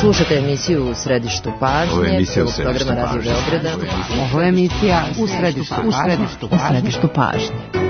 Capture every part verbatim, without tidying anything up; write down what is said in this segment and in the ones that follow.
Slušate emisiju U središtu pažnje. Ovo je emisija U središtu pažnje. Ovo je emisija U središtu pažnje. U središtu pažnje.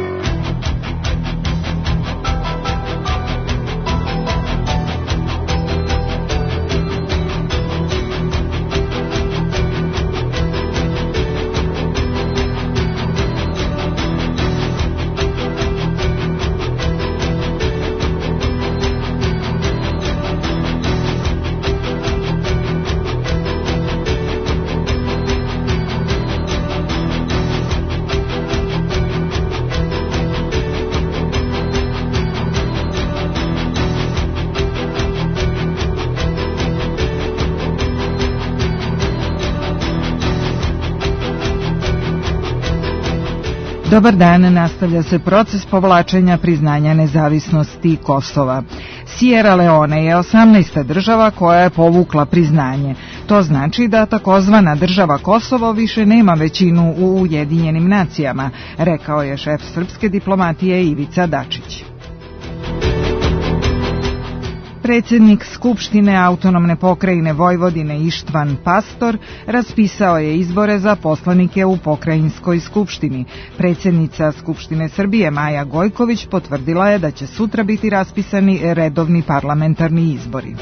Dobar dan, nastavlja se proces povlačenja priznanja nezavisnosti Kosova. Sierra Leone je osamnaesta država koja je povukla priznanje. To znači da takozvana država Kosovo više nema većinu u Ujedinjenim nacijama, rekao je šef srpske diplomatije Ivica Dačić. Predsjednik Skupštine autonomne pokrajine Vojvodine Ištvan Pastor raspisao je izbore za poslanike u pokrajinskoj skupštini. Predsjednica Skupštine Srbije Maja Gojković potvrdila je da će sutra biti raspisani redovni parlamentarni izbori.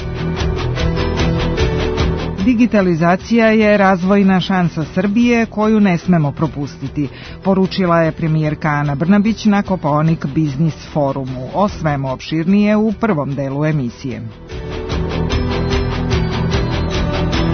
Digitalizacija je razvojna šansa Srbije koju ne smemo propustiti, poručila je premijerka Ana Brnabić na Kopaonik Biznis forumu. O svemu opširnije u prvom delu emisije.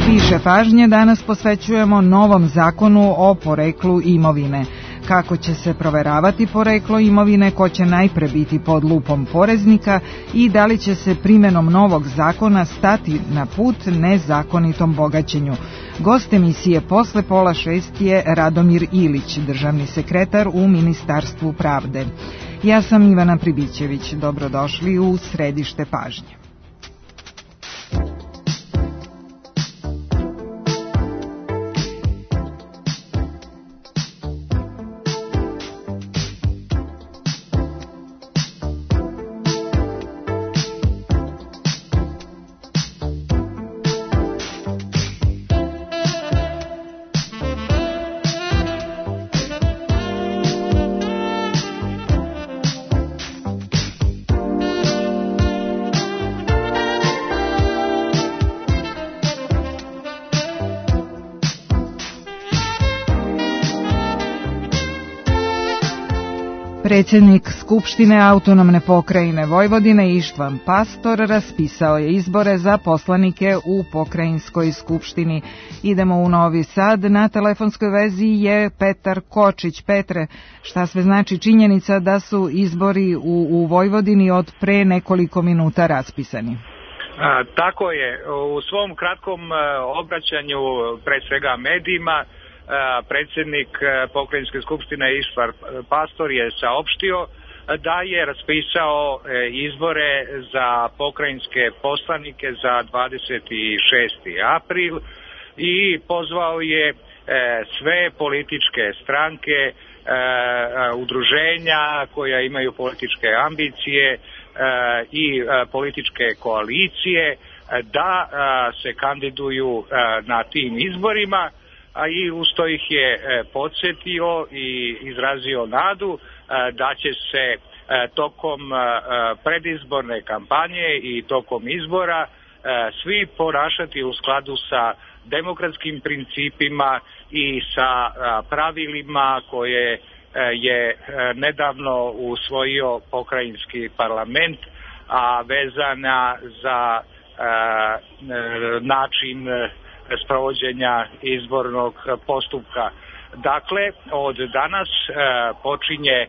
Više pažnje danas posvećujemo novom zakonu o poreklu imovine. Kako će se proveravati poreklo imovine, ko će najpre biti pod lupom poreznika i da li će se primjenom novog zakona stati na put nezakonitom bogaćenju. Gost emisije posle pola šest je Radomir Ilić, državni sekretar u Ministarstvu pravde. Ja sam Ivana Pribićević, dobrodošli u središte pažnje. Predsjednik Skupštine autonomne pokrajine Vojvodine Ištvan Pastor raspisao je izbore za poslanike u pokrajinskoj skupštini. Idemo u Novi Sad. Na telefonskoj vezi je Petar Kočić. Petre, šta sve znači činjenica da su izbori u, u Vojvodini od pre nekoliko minuta raspisani? A, tako je. U svom kratkom obraćanju, pre svega medijima, predsjednik pokrajinske skupštine Ištvan Pastor je saopštio da je raspisao izbore za pokrajinske poslanike za dvadeset šesti april i pozvao je sve političke stranke, udruženja koja imaju političke ambicije i političke koalicije da se kandiduju na tim izborima, a i usto ih je podsjetio i izrazio nadu da će se tokom predizborne kampanje i tokom izbora svi ponašati u skladu sa demokratskim principima i sa pravilima koje je nedavno usvojio pokrajinski parlament, a vezana za način sprovođenja izbornog postupka. Dakle, od danas e, počinje e,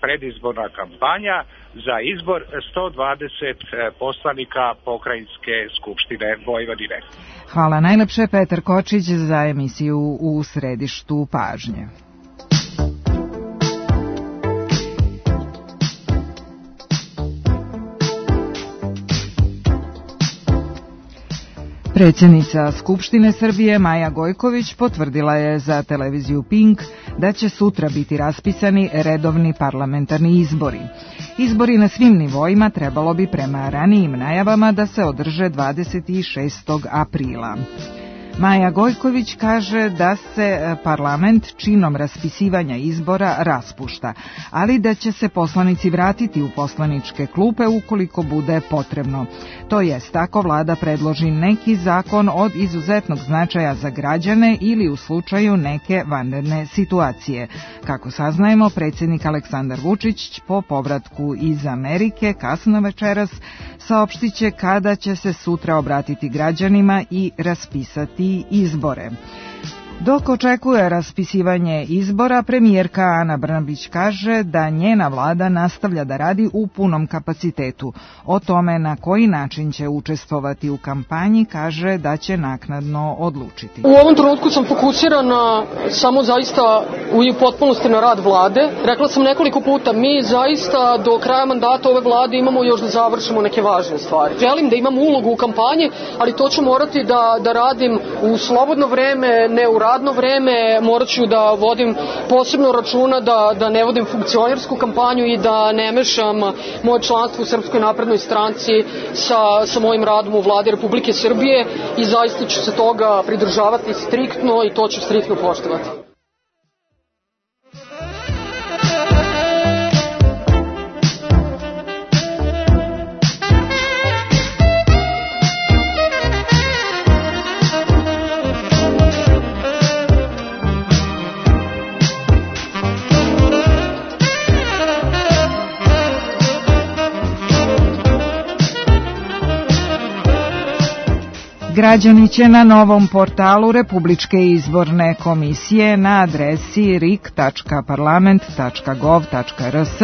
predizborna kampanja za izbor sto dvadeset poslanika pokrajinske skupštine Vojvodine. Hvala najlepše, Petar Kočić, za emisiju U središtu pažnje. Predsjednica Skupštine Srbije Maja Gojković potvrdila je za televiziju Pink da će sutra biti raspisani redovni parlamentarni izbori. Izbori na svim nivoima trebalo bi prema ranijim najavama da se održe dvadeset šestog aprila. Maja Gojković kaže da se parlament činom raspisivanja izbora raspušta, ali da će se poslanici vratiti u poslaničke klupe ukoliko bude potrebno. To jest, ako vlada predloži neki zakon od izuzetnog značaja za građane ili u slučaju neke vanredne situacije. Kako saznajemo, predsjednik Aleksandar Vučić po povratku iz Amerike kasno večeras saopštit će kada će se sutra obratiti građanima i raspisati izbore. Dok očekuje raspisivanje izbora, premijerka Ana Brnabić kaže da njena vlada nastavlja da radi u punom kapacitetu. O tome na koji način će učestvovati u kampanji kaže da će naknadno odlučiti. U ovom trenutku sam fokusirana samo zaista u potpunosti na rad vlade. Rekla sam nekoliko puta, mi zaista do kraja mandata ove vlade imamo još da završimo neke važne stvari. Želim da imam ulogu u kampanji, ali to ću morati da, da radim u slobodno vreme, ne u radno vreme. Morat ću da vodim posebno računa da, da ne vodim funkcionersku kampanju i da ne mešam moje članstvo u Srpskoj naprednoj stranci sa, sa mojim radom u vladi Republike Srbije i zaista ću se toga pridržavati striktno i to ću striktno poštovati. Građani će na novom portalu Republičke izborne komisije na adresi r i k tačka parlament tačka gov tačka r s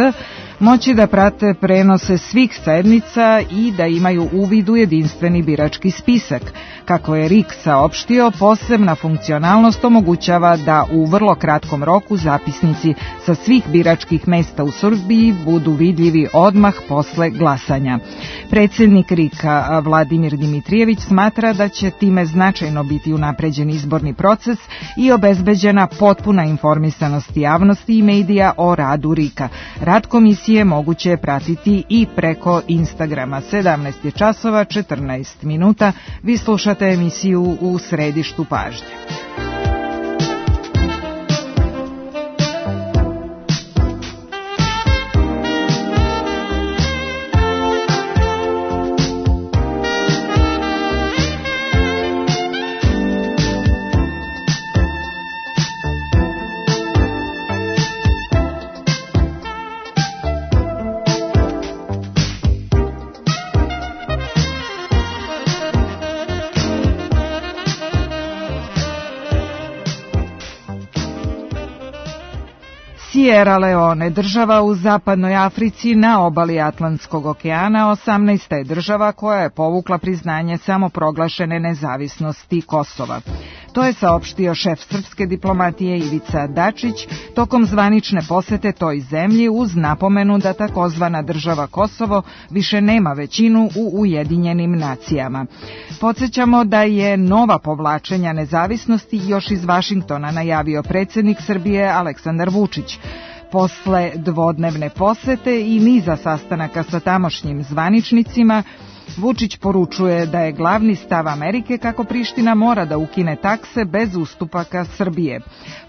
moći da prate prenose svih sednica i da imaju uvid u jedinstveni birački spisak. Kako je R I K saopštio, posebna funkcionalnost omogućava da u vrlo kratkom roku zapisnici sa svih biračkih mesta u Srbiji budu vidljivi odmah posle glasanja. Predsjednik R I K-a Vladimir Dimitrijević smatra da će time značajno biti unapređen izborni proces i obezbeđena potpuna informisanost javnosti i medija o radu R I K-a. Rad komisije moguće je pratiti i preko Instagrama. sedamnaest je časova četrnaest minuta. Vi slušate emisiju U središtu pažnje. Sierra Leone, država u zapadnoj Africi na obali Atlantskog okeana, osamnaesta je država koja je povukla priznanje samoproglašene nezavisnosti Kosova. To je saopštio šef srpske diplomatije Ivica Dačić tokom zvanične posete toj zemlji uz napomenu da takozvana država Kosovo više nema većinu u Ujedinjenim nacijama. Podsjećamo da je nova povlačenja nezavisnosti još iz Vašingtona najavio predsjednik Srbije Aleksandar Vučić. Posle dvodnevne posete i niza sastanaka sa tamošnjim zvaničnicima, Vučić poručuje da je glavni stav Amerike kako Priština mora da ukine takse bez ustupaka Srbije.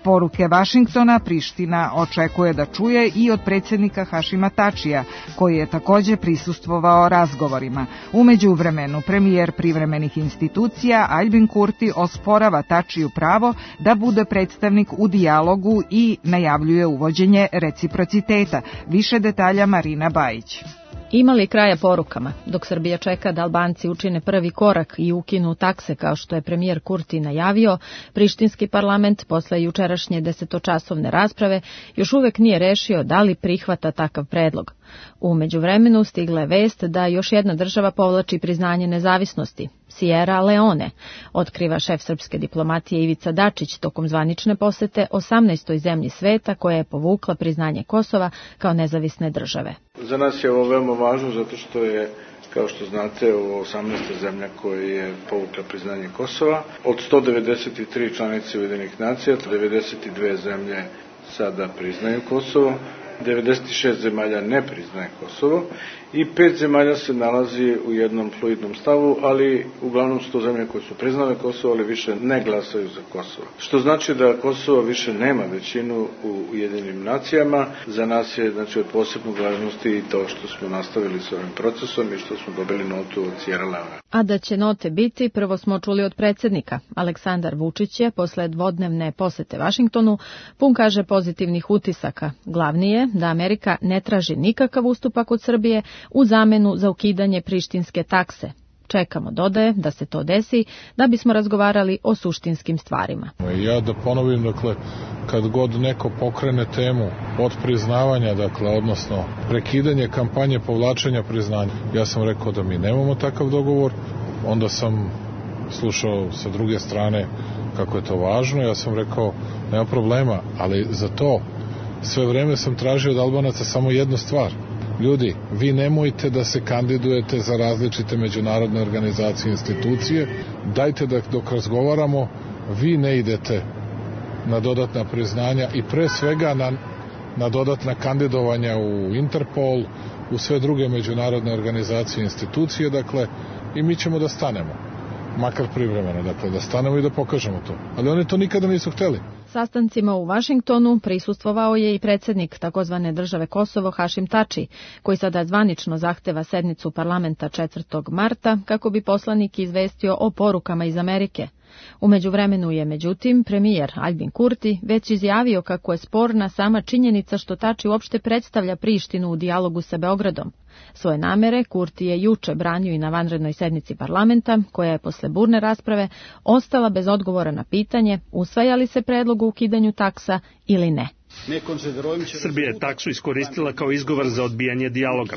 Poruke Vašingtona Priština očekuje da čuje i od predsjednika Hašima Tačija, koji je također prisustvovao razgovorima. U međuvremenu premijer privremenih institucija Aljbin Kurti osporava Tačiju pravo da bude predstavnik u dijalogu i najavljuje uvođenje reciprociteta. Više detalja Marina Bajić. Ima li kraja porukama? Dok Srbija čeka da Albanci učine prvi korak i ukinu takse kao što je premijer Kurti najavio, prištinski parlament posle jučerašnje desetočasovne rasprave još uvek nije rešio da li prihvata takav predlog. U međuvremenu stigla je vest da još jedna država povlači priznanje nezavisnosti, Sierra Leone, otkriva šef srpske diplomatije Ivica Dačić tokom zvanične posete osamnaestoj zemlji sveta koja je povukla priznanje Kosova kao nezavisne države. Za nas je ovo veoma važno zato što je Kao što znate, ovo osamnaesta zemlja koja je povukla priznanje Kosova. Od sto devedeset tri članice Ujedinjenih nacija, devedeset dve zemlje sada priznaju Kosovo, devedeset šest zemalja ne priznaje Kosovo i pet zemalja se nalazi u jednom fluidnom stavu, ali uglavnom su to zemlje koje su priznale Kosovo, ali više ne glasaju za Kosovo. Što znači da Kosovo više nema većinu u Ujedinjenim nacijama. Za nas je znači od posebnog važnosti i to što smo nastavili s ovim procesom i što smo dobili notu od Sierra Leone. A da će note biti, prvo smo čuli od predsjednika. Aleksandar Vučić je posle dvodnevne posete Vašingtonu pun, kaže, pozitivnih utisaka. Glavni je da Amerika ne traži nikakav ustupak od Srbije u zamenu za ukidanje prištinske takse. Čekamo, dodaje, da se to desi, da bismo razgovarali o suštinskim stvarima. Ja da ponovim, dakle, kad god neko pokrene temu od priznavanja, dakle, odnosno prekidanje kampanje povlačenja priznanja, ja sam rekao da mi nemamo takav dogovor, onda sam slušao sa druge strane kako je to važno, ja sam rekao nema problema, ali za to sve vreme sam tražio od Albanaca samo jednu stvar. Ljudi, vi nemojte da se kandidujete za različite međunarodne organizacije i institucije, dajte da dok razgovaramo, vi ne idete na dodatna priznanja i pre svega na, na dodatna kandidovanja u Interpol, u sve druge međunarodne organizacije i institucije, dakle, i mi ćemo da stanemo, makar privremeno, dakle, da stanemo i da pokažemo to. Ali oni to nikada nisu hteli. Sastancima u Vašingtonu prisustvovao je i predsjednik takozvane države Kosovo Hašim Tači, koji sada zvanično zahteva sednicu parlamenta četvrtog marta kako bi poslanik izvestio o porukama iz Amerike. U međuvremenu je, međutim, premijer Aljbin Kurti već izjavio kako je sporna sama činjenica što Tači uopšte predstavlja Prištinu u dijalogu sa Beogradom. Svoje namere Kurti je juče branio i na vanrednoj sednici parlamenta, koja je posle burne rasprave ostala bez odgovora na pitanje usvaja li se predlog o ukidanju taksa ili ne. Srbija je taksu iskoristila kao izgovor za odbijanje dijaloga.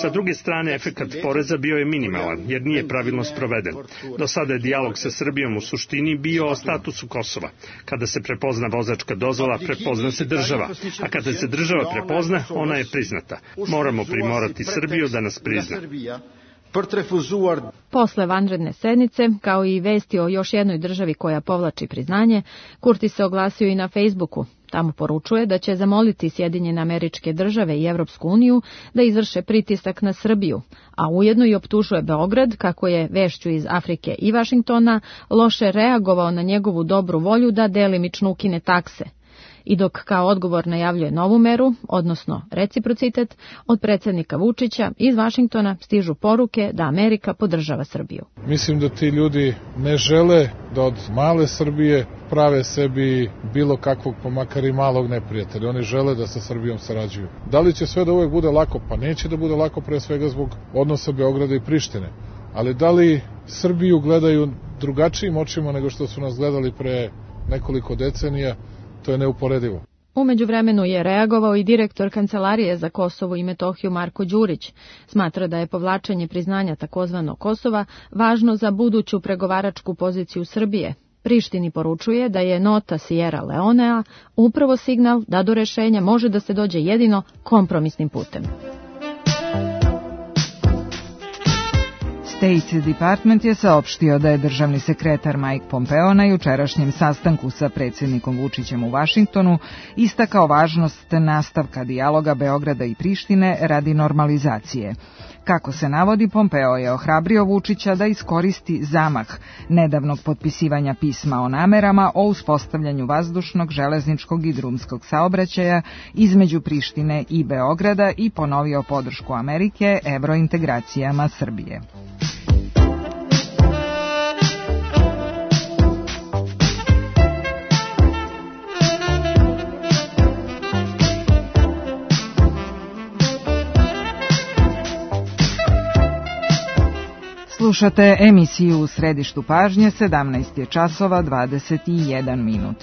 Sa druge strane, efekat poreza bio je minimalan, jer nije pravilno sproveden. Do sada je dijalog sa Srbijom u suštini bio o statusu Kosova. Kada se prepozna vozačka dozvola, prepozna se država. A kada se država prepozna, ona je priznata. Moramo primorati Srbiju da nas prizna. Posle vanredne sednice, kao i vesti o još jednoj državi koja povlači priznanje, Kurti se oglasio i na Facebooku. Tamo poručuje da će zamoliti Sjedinjene Američke Države i Evropsku uniju da izvrše pritisak na Srbiju, a ujedno i optužuje Beograd kako je vešću iz Afrike i Vašingtona loše reagovao na njegovu dobru volju da delimično ukine takse. I dok kao odgovor najavljuje novu meru, odnosno reciprocitet, od predsjednika Vučića iz Vašingtona stižu poruke da Amerika podržava Srbiju. Mislim da ti ljudi ne žele da od male Srbije prave sebi bilo kakvog, pa makar i malog neprijatelja. Oni žele da sa Srbijom sarađuju. Da li će sve da uvek bude lako? Pa neće da bude lako, pre svega zbog odnosa Beograda i Prištine. Ali da li Srbiju gledaju drugačijim očima nego što su nas gledali pre nekoliko decenija? To je neuporedivo. U međuvremenu je reagovao i direktor Kancelarije za Kosovo i Metohiju Marko Đurić. Smatra da je povlačenje priznanja takozvanog Kosova važno za buduću pregovaračku poziciju Srbije. Prištini poručuje da je nota Sierra Leonea upravo signal da do rešenja može da se dođe jedino kompromisnim putem. State Department je saopštio da je državni sekretar Mike Pompeo na jučerašnjem sastanku sa predsjednikom Vučićem u Vašingtonu istakao važnost nastavka dijaloga Beograda i Prištine radi normalizacije. Kako se navodi, Pompeo je ohrabrio Vučića da iskoristi zamah nedavnog potpisivanja pisma o namerama o uspostavljanju vazdušnog, železničkog i drumskog saobraćaja između Prištine i Beograda i ponovio podršku Amerike evrointegracijama Srbije. Slušate emisiju U središtu pažnje, sedamnaest je časova dvadeset jedan minut.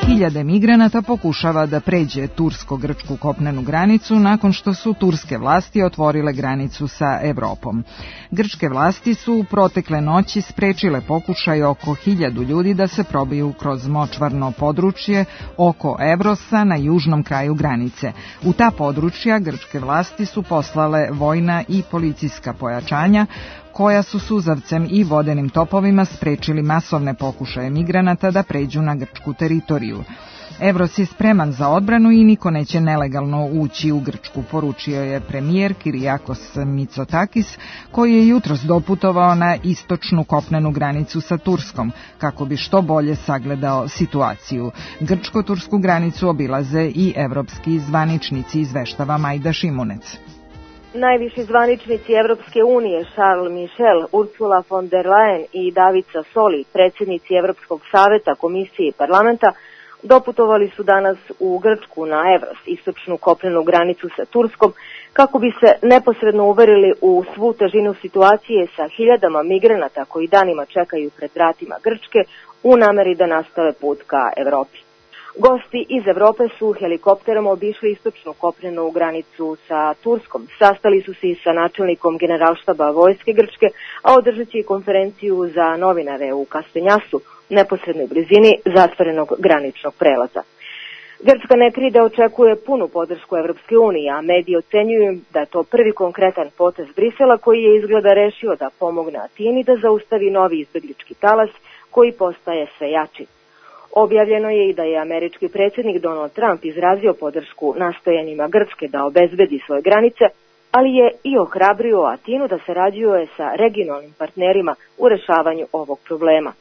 Hiljade migranata pokušava da pređe tursko-grčku kopnenu granicu nakon što su turske vlasti otvorile granicu sa Evropom. Grčke vlasti su u protekle noći sprečile pokušaj oko hiljadu ljudi da se probiju kroz močvarno područje oko Evrosa na južnom kraju granice. U ta područja grčke vlasti su poslale vojna i policijska pojačanja koja su suzavcem i vodenim topovima sprečili masovne pokušaje migranata da pređu na grčku teritoriju. Evros je spreman za odbranu i niko neće nelegalno ući u Grčku, poručio je premijer Kyriakos Mitsotakis, koji je jutros doputovao na istočnu kopnenu granicu sa Turskom, kako bi što bolje sagledao situaciju. Grčko-tursku granicu obilaze i evropski zvaničnici, izveštava Majda Šimunec. Najviši zvaničnici Evropske unije Charles Michel, Ursula von der Leyen i David Sassoli, predsjednici Evropskog saveta, komisije i parlamenta, doputovali su danas u Grčku na Evros, istočnu kopnenu granicu sa Turskom, kako bi se neposredno uverili u svu težinu situacije sa hiljadama migranata koji danima čekaju pred vratima Grčke u nameri da nastave put ka Evropi. Gosti iz Evrope su helikopterom obišli istočnu kopnenu granicu sa Turskom. Sastali su se i sa načelnikom generalštaba vojske Grčke, a održat će i konferenciju za novinare u Kastenjasu, neposrednoj blizini zatvorenog graničnog prelaza. Grčka ne krije da očekuje punu podršku Evropske unije, a mediji ocenjuju da je to prvi konkretan potez Brisela koji je izgleda rešio da pomogne Atini da zaustavi novi izbeglički talas koji postaje sve jači. Objavljeno je i da je američki predsjednik Donald Trump izrazio podršku nastojanjima Grčke da obezbedi svoje granice, ali je i ohrabrio Atinu da sarađuje sa regionalnim partnerima u rešavanju ovog problema.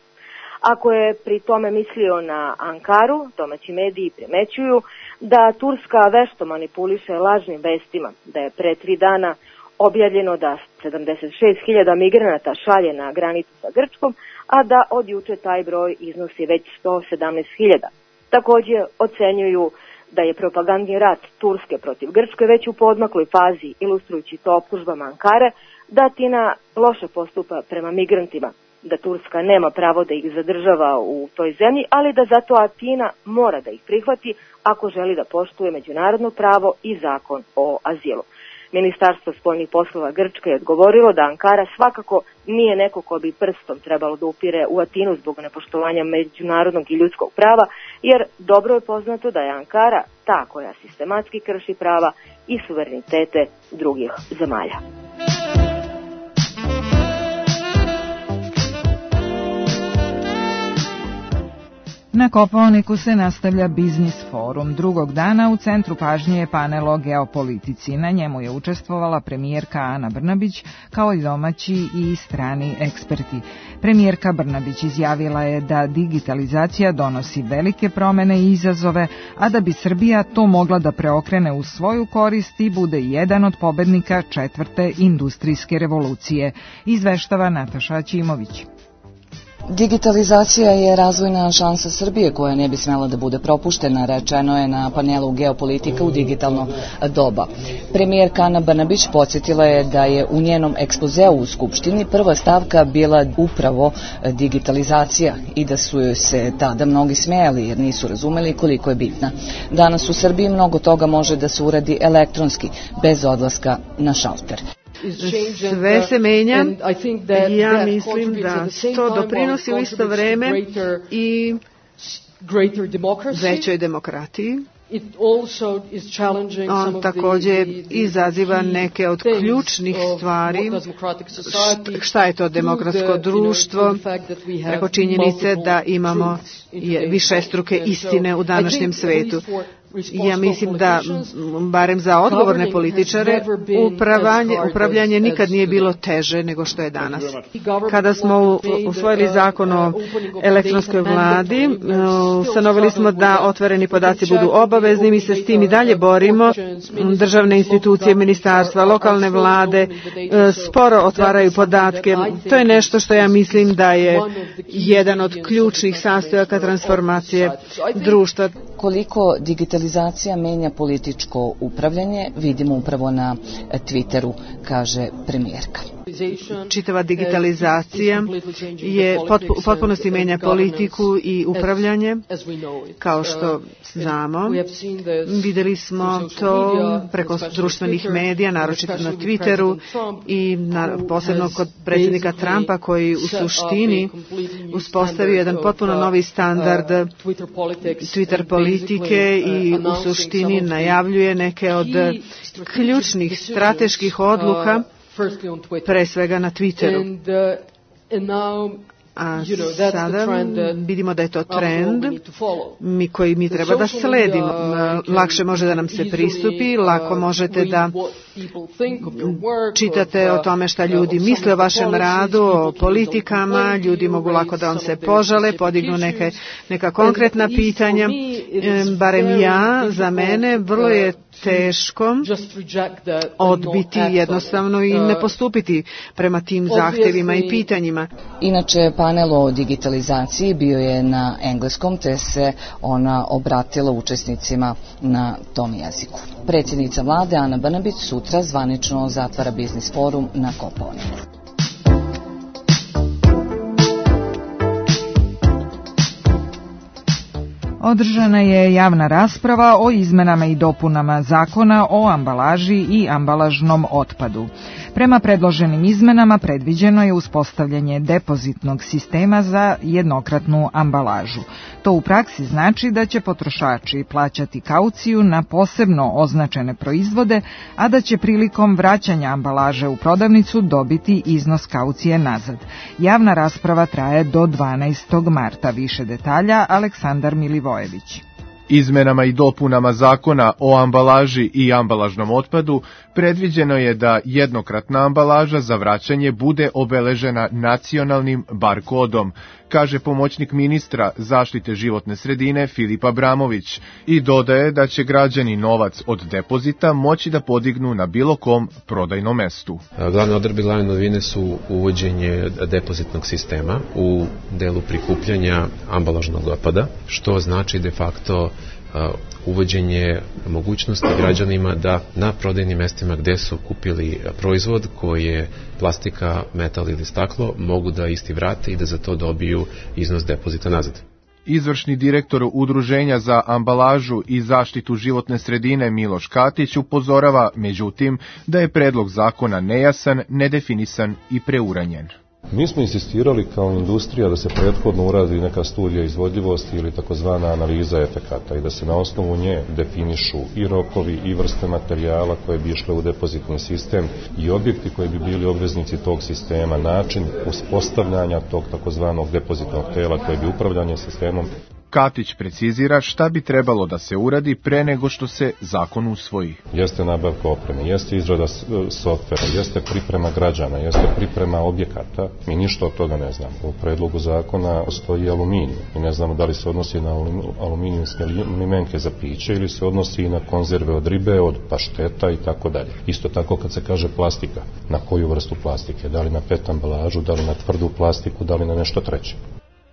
Ako je pri tome mislio na Ankaru, domaći mediji primećuju da Turska vešto manipuliše lažnim vestima, da je pre tri dana objavljeno da sedamdeset šest hiljada migranata šalje na granicu sa Grčkom, a da od juče taj broj iznosi već sto sedamnaest hiljada. Također ocenjuju da je propagandni rat Turske protiv Grčke već u poodmakloj fazi, ilustrujući to optužbama Ankare, da Atina loše postupa prema migrantima, da Turska nema pravo da ih zadržava u toj zemlji, ali da zato Atina mora da ih prihvati ako želi da poštuje međunarodno pravo i zakon o azilu. Ministarstvo spoljnih poslova Grčke je odgovorilo da Ankara svakako nije neko ko bi prstom trebalo da upire u Atinu zbog nepoštovanja međunarodnog i ljudskog prava, jer dobro je poznato da je Ankara ta koja sistematski krši prava i suverenitete drugih zemalja. Na Kopaoniku se nastavlja Biznis forum. Drugog dana u centru pažnje je panel o geopolitici. Na njemu je učestvovala premijerka Ana Brnabić, kao i domaći i strani eksperti. Premijerka Brnabić izjavila je da digitalizacija donosi velike promene i izazove, a da bi Srbija to mogla da preokrene u svoju korist i bude jedan od pobednika četvrte industrijske revolucije, izveštava Nataša Ćimović. Digitalizacija je razvojna šansa Srbije koja ne bi smela da bude propuštena, rečeno je na panelu Geopolitika u digitalno doba. Premijerka Ana Brnabić podsjetila je da je u njenom ekspozeu u Skupštini prva stavka bila upravo digitalizacija i da su joj se tada mnogi smejali jer nisu razumeli koliko je bitna. Danas u Srbiji mnogo toga može da se uradi elektronski, bez odlaska na šalter. Sve se menja i ja mislim da to doprinosi u isto vreme i većoj demokratiji. On također izaziva neke od ključnih stvari. Šta je to demokratsko društvo? Preko činjenice da imamo višestruke istine u današnjem svetu. Ja mislim da, barem za odgovorne političare, upravljanje, upravljanje nikad nije bilo teže nego što je danas. Kada smo usvojili zakon o elektronskoj vladi, ustanovili smo da otvoreni podaci budu obavezni, mi se s tim i dalje borimo. Državne institucije, ministarstva, lokalne vlade sporo otvaraju podatke. To je nešto što ja mislim da je jedan od ključnih sastojaka transformacije društva. Koliko digitalizacija menja političko upravljanje, vidimo upravo na Twitteru, kaže premijerka. čitava digitalizacija je u potpunosti menja politiku i upravljanje, kao što znamo. Videli smo to preko društvenih medija, naročito na Twitteru i na, posebno kod predsjednika Trumpa, koji u suštini uspostavio jedan potpuno novi standard Twitter politike i u suštini najavljuje neke od ključnih strateških odluka, pre svega na Twitteru. A sada vidimo da je to trend mi koji mi treba da sledimo. Lakše može da nam se pristupi, lako možete da čitate o tome šta ljudi misle o vašem radu, o politikama, ljudi mogu lako da vam se požale, podignu neke, neka konkretna pitanja. Barem ja, za mene, vrlo je teško odbiti jednostavno i ne postupiti prema tim zahtevima i pitanjima. Inače, panel o digitalizaciji bio je na engleskom, te se ona obratila učesnicima na tom jeziku. Predsjednica vlade Ana Brnabić sutra zvanično zatvara biznis forum na Kopaoniku. Održana je javna rasprava o izmenama i dopunama zakona o ambalaži i ambalažnom otpadu. Prema predloženim izmenama predviđeno je uspostavljanje depozitnog sistema za jednokratnu ambalažu. To u praksi znači da će potrošači plaćati kauciju na posebno označene proizvode, a da će prilikom vraćanja ambalaže u prodavnicu dobiti iznos kaucije nazad. Javna rasprava traje do dvanaestog marta. Više detalja Aleksandar Milivojević. Izmenama i dopunama zakona o ambalaži i ambalažnom otpadu predviđeno je da jednokratna ambalaža za vraćanje bude obeležena nacionalnim bar kodom, kaže pomoćnik ministra zaštite životne sredine Filip Abramović, i dodaje da će građani novac od depozita moći da podignu na bilo kom prodajnom mestu. Glavne odredbe, glavne novine su uvođenje depozitnog sistema u delu prikupljanja ambalažnog otpada, što znači de facto uvođenje mogućnosti građanima da na prodajnim mestima gde su kupili proizvod koji je plastika, metal ili staklo, mogu da isti vrate i da za to dobiju iznos depozita nazad. Izvršni direktor Udruženja za ambalažu i zaštitu životne sredine Miloš Katić upozorava, međutim, da je predlog zakona nejasan, nedefinisan i preuranjen. Mi smo insistirali kao industrija da se prethodno uradi neka studija izvodljivosti ili takozvana analiza efekata i da se na osnovu nje definišu i rokovi i vrste materijala koje bi išle u depozitni sistem i objekti koji bi bili obveznici tog sistema, način uspostavljanja tog takozvanog depozitnog tela koje bi upravljanje sistemom. Katić precizira šta bi trebalo da se uradi pre nego što se zakon usvoji. Jeste nabavka opreme, jeste izrada softvera, jeste priprema građana, jeste priprema objekata. Mi ništa od toga ne znamo. U predlogu zakona stoji aluminij i ne znamo da li se odnosi na aluminijumske limenke za piće ili se odnosi i na konzerve od ribe, od pašteta i tako dalje. Isto tako kad se kaže plastika, na koju vrstu plastike, da li na pet ambalažu, da li na tvrdu plastiku, da li na nešto treće.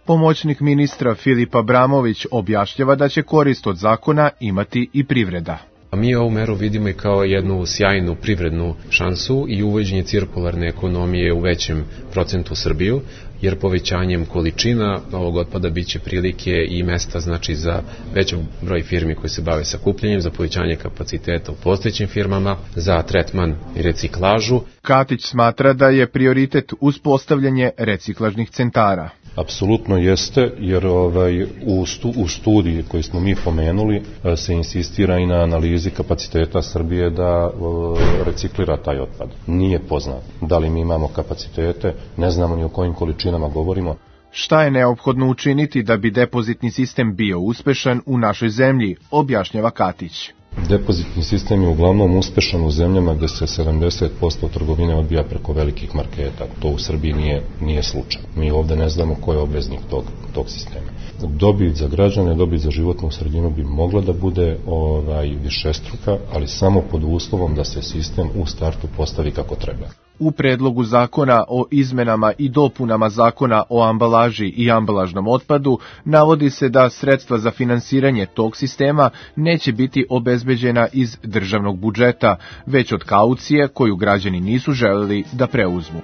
Pomoćnik ministra Filip Abramović objašnjava da će korist od zakona imati i privreda. Mi ovu meru vidimo i kao jednu sjajnu privrednu šansu i uvođenje cirkularne ekonomije u većem procentu Srbiju, jer povećanjem količina ovog otpada biće prilike i mesta znači za veći broj firmi koji se bave sakupljanjem, za povećanje kapaciteta u postojećim firmama, za tretman i reciklažu. Katić smatra da je prioritet uspostavljanje reciklažnih centara. Apsolutno jeste, jer ovaj, u, stu, u studiji koji smo mi pomenuli se insistira i na analizi kapaciteta Srbije da o, reciklira taj otpad. Nije poznato da li mi imamo kapacitete, ne znamo ni o kojim količinama govorimo. Šta je neophodno učiniti da bi depozitni sistem bio uspešan u našoj zemlji, objašnjava Katić. Depozitni sistem je uglavnom uspešan u zemljama gde se sedamdeset posto trgovine odbija preko velikih marketa. To u Srbiji nije, nije slučaj. Mi ovde ne znamo ko je obveznik tog, tog sistema. Dobit za građane, dobit za životnu sredinu bi mogla da bude ovaj, višestruka, ali samo pod uslovom da se sistem u startu postavi kako treba. U predlogu zakona o izmenama i dopunama zakona o ambalaži i ambalažnom otpadu navodi se da sredstva za finansiranje tog sistema neće biti obezbeđena iz državnog budžeta, već od kaucije koju građani nisu želeli da preuzmu.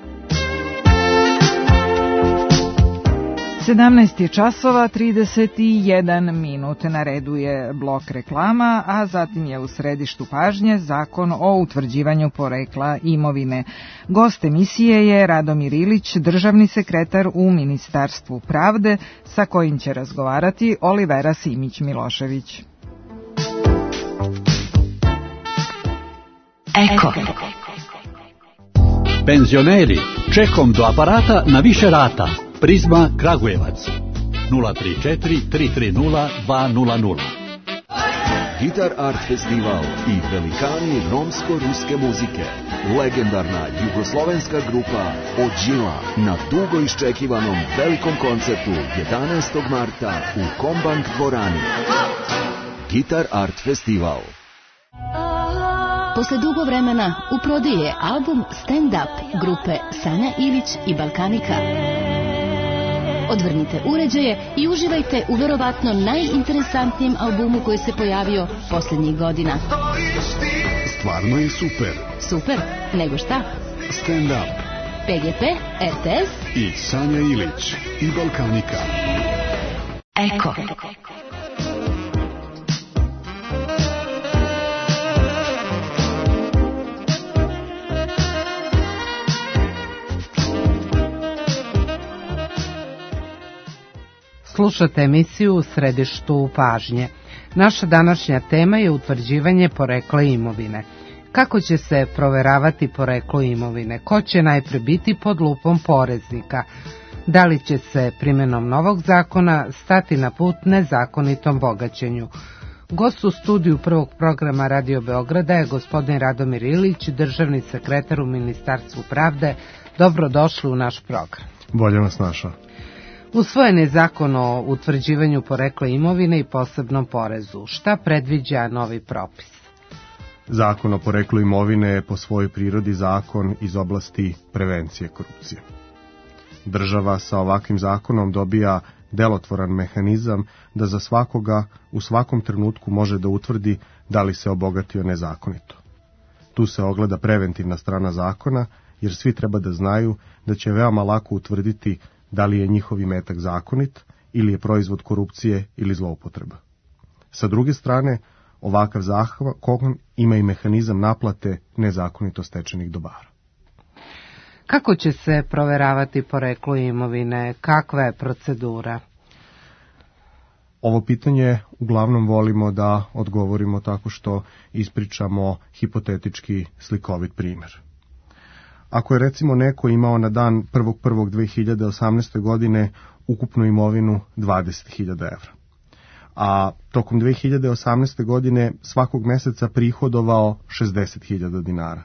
sedamnaest je časova trideset jedan minut, na redu je blok reklama, a zatim je u središtu pažnje Zakon o utvrđivanju porekla imovine. Gost emisije je Radomir Ilić, državni sekretar u Ministarstvu pravde, sa kojim će razgovarati Olivera Simić-Milošević. Eko. Penzioneri, čekom do aparata na više rata. Prizma Kragujevac nula tri četiri tri tri nula dva nula nula. Gitar Art Festival i velikani romsko-ruske muzike. Legendarna jugoslovenska grupa Ođila na dugo iščekivanom velikom koncertu jedanaestog marta u Kombank dvorani. Gitar Art Festival. Posle dugo vremena u prodiji je album Stand Up grupe Sanja Ilić i Balkanika. Odvrnite uređaje i uživajte u verovatno najinteresantnijem albumu koji se pojavio posljednjih godina. Stvarno je super. Super? Nego šta? Stand Up. P G P, R T S i Sanja Ilić i Balkanika. Eko. Slušate emisiju u središtu pažnje. Naša današnja tema je utvrđivanje porekla imovine. Kako će se proveravati poreklo imovine? Ko će najpre biti pod lupom poreznika? Da li će se primjenom novog zakona stati na put nezakonitom bogaćenju? Gost u studiju prvog programa Radio Beograda je gospodin Radomir Ilić, državni sekretar u Ministarstvu pravde. Dobrodošli u naš program. Bolje vas našao. Usvojen je zakon o utvrđivanju porekla imovine i posebnom porezu. Šta predviđa novi propis? Zakon o poreklu imovine je po svojoj prirodi zakon iz oblasti prevencije korupcije. Država sa ovakvim zakonom dobija delotvoran mehanizam da za svakoga u svakom trenutku može da utvrdi da li se obogatio nezakonito. Tu se ogleda preventivna strana zakona, jer svi treba da znaju da će veoma lako utvrditi da li je njihov imetak zakonit ili je proizvod korupcije ili zloupotreba. Sa druge strane, ovakav zakon ima i mehanizam naplate nezakonito stečenih dobara. Kako će se proveravati poreklo imovine? Kakva je procedura? Ovo pitanje uglavnom volimo da odgovorimo tako što ispričamo hipotetički slikovit primjer. Ako je recimo neko imao na dan prvog prvog dve hiljade osamnaeste. godine ukupnu imovinu dvadeset hiljada evra, a tokom dve hiljade osamnaeste. godine svakog meseca prihodovao šezdeset hiljada dinara,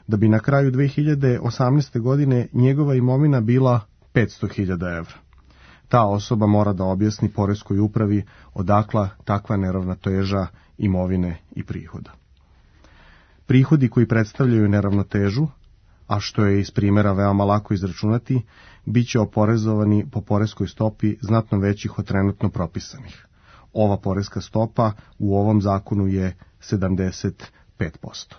da bi na kraju dve hiljade osamnaeste. godine njegova imovina bila petsto hiljada evra. Ta osoba mora da objasni poreskoj upravi odakla takva neravnoteža imovine i prihoda. Prihodi koji predstavljaju neravnotežu, a što je iz primjera veoma lako izračunati, bit će oporezovani po poreskoj stopi znatno većih od trenutno propisanih. Ova poreska stopa u ovom zakonu je sedamdeset pet posto.